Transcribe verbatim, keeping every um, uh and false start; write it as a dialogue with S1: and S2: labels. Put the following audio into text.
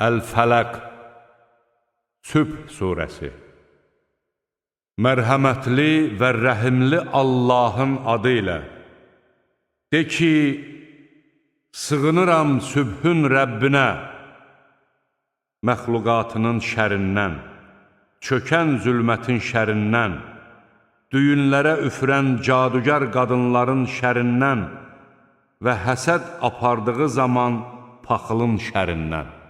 S1: Əl-Fələq Sübh surəsi. Mərhəmətli və rəhimli Allahın adı ilə. De ki, sığınıram sübhün Rəbbinə, məxluqatının şərindən, çökən zülmətin şərindən, düyünlərə üfürən cadugar qadınların şərindən və həsəd apardığı zaman paxılın şərindən.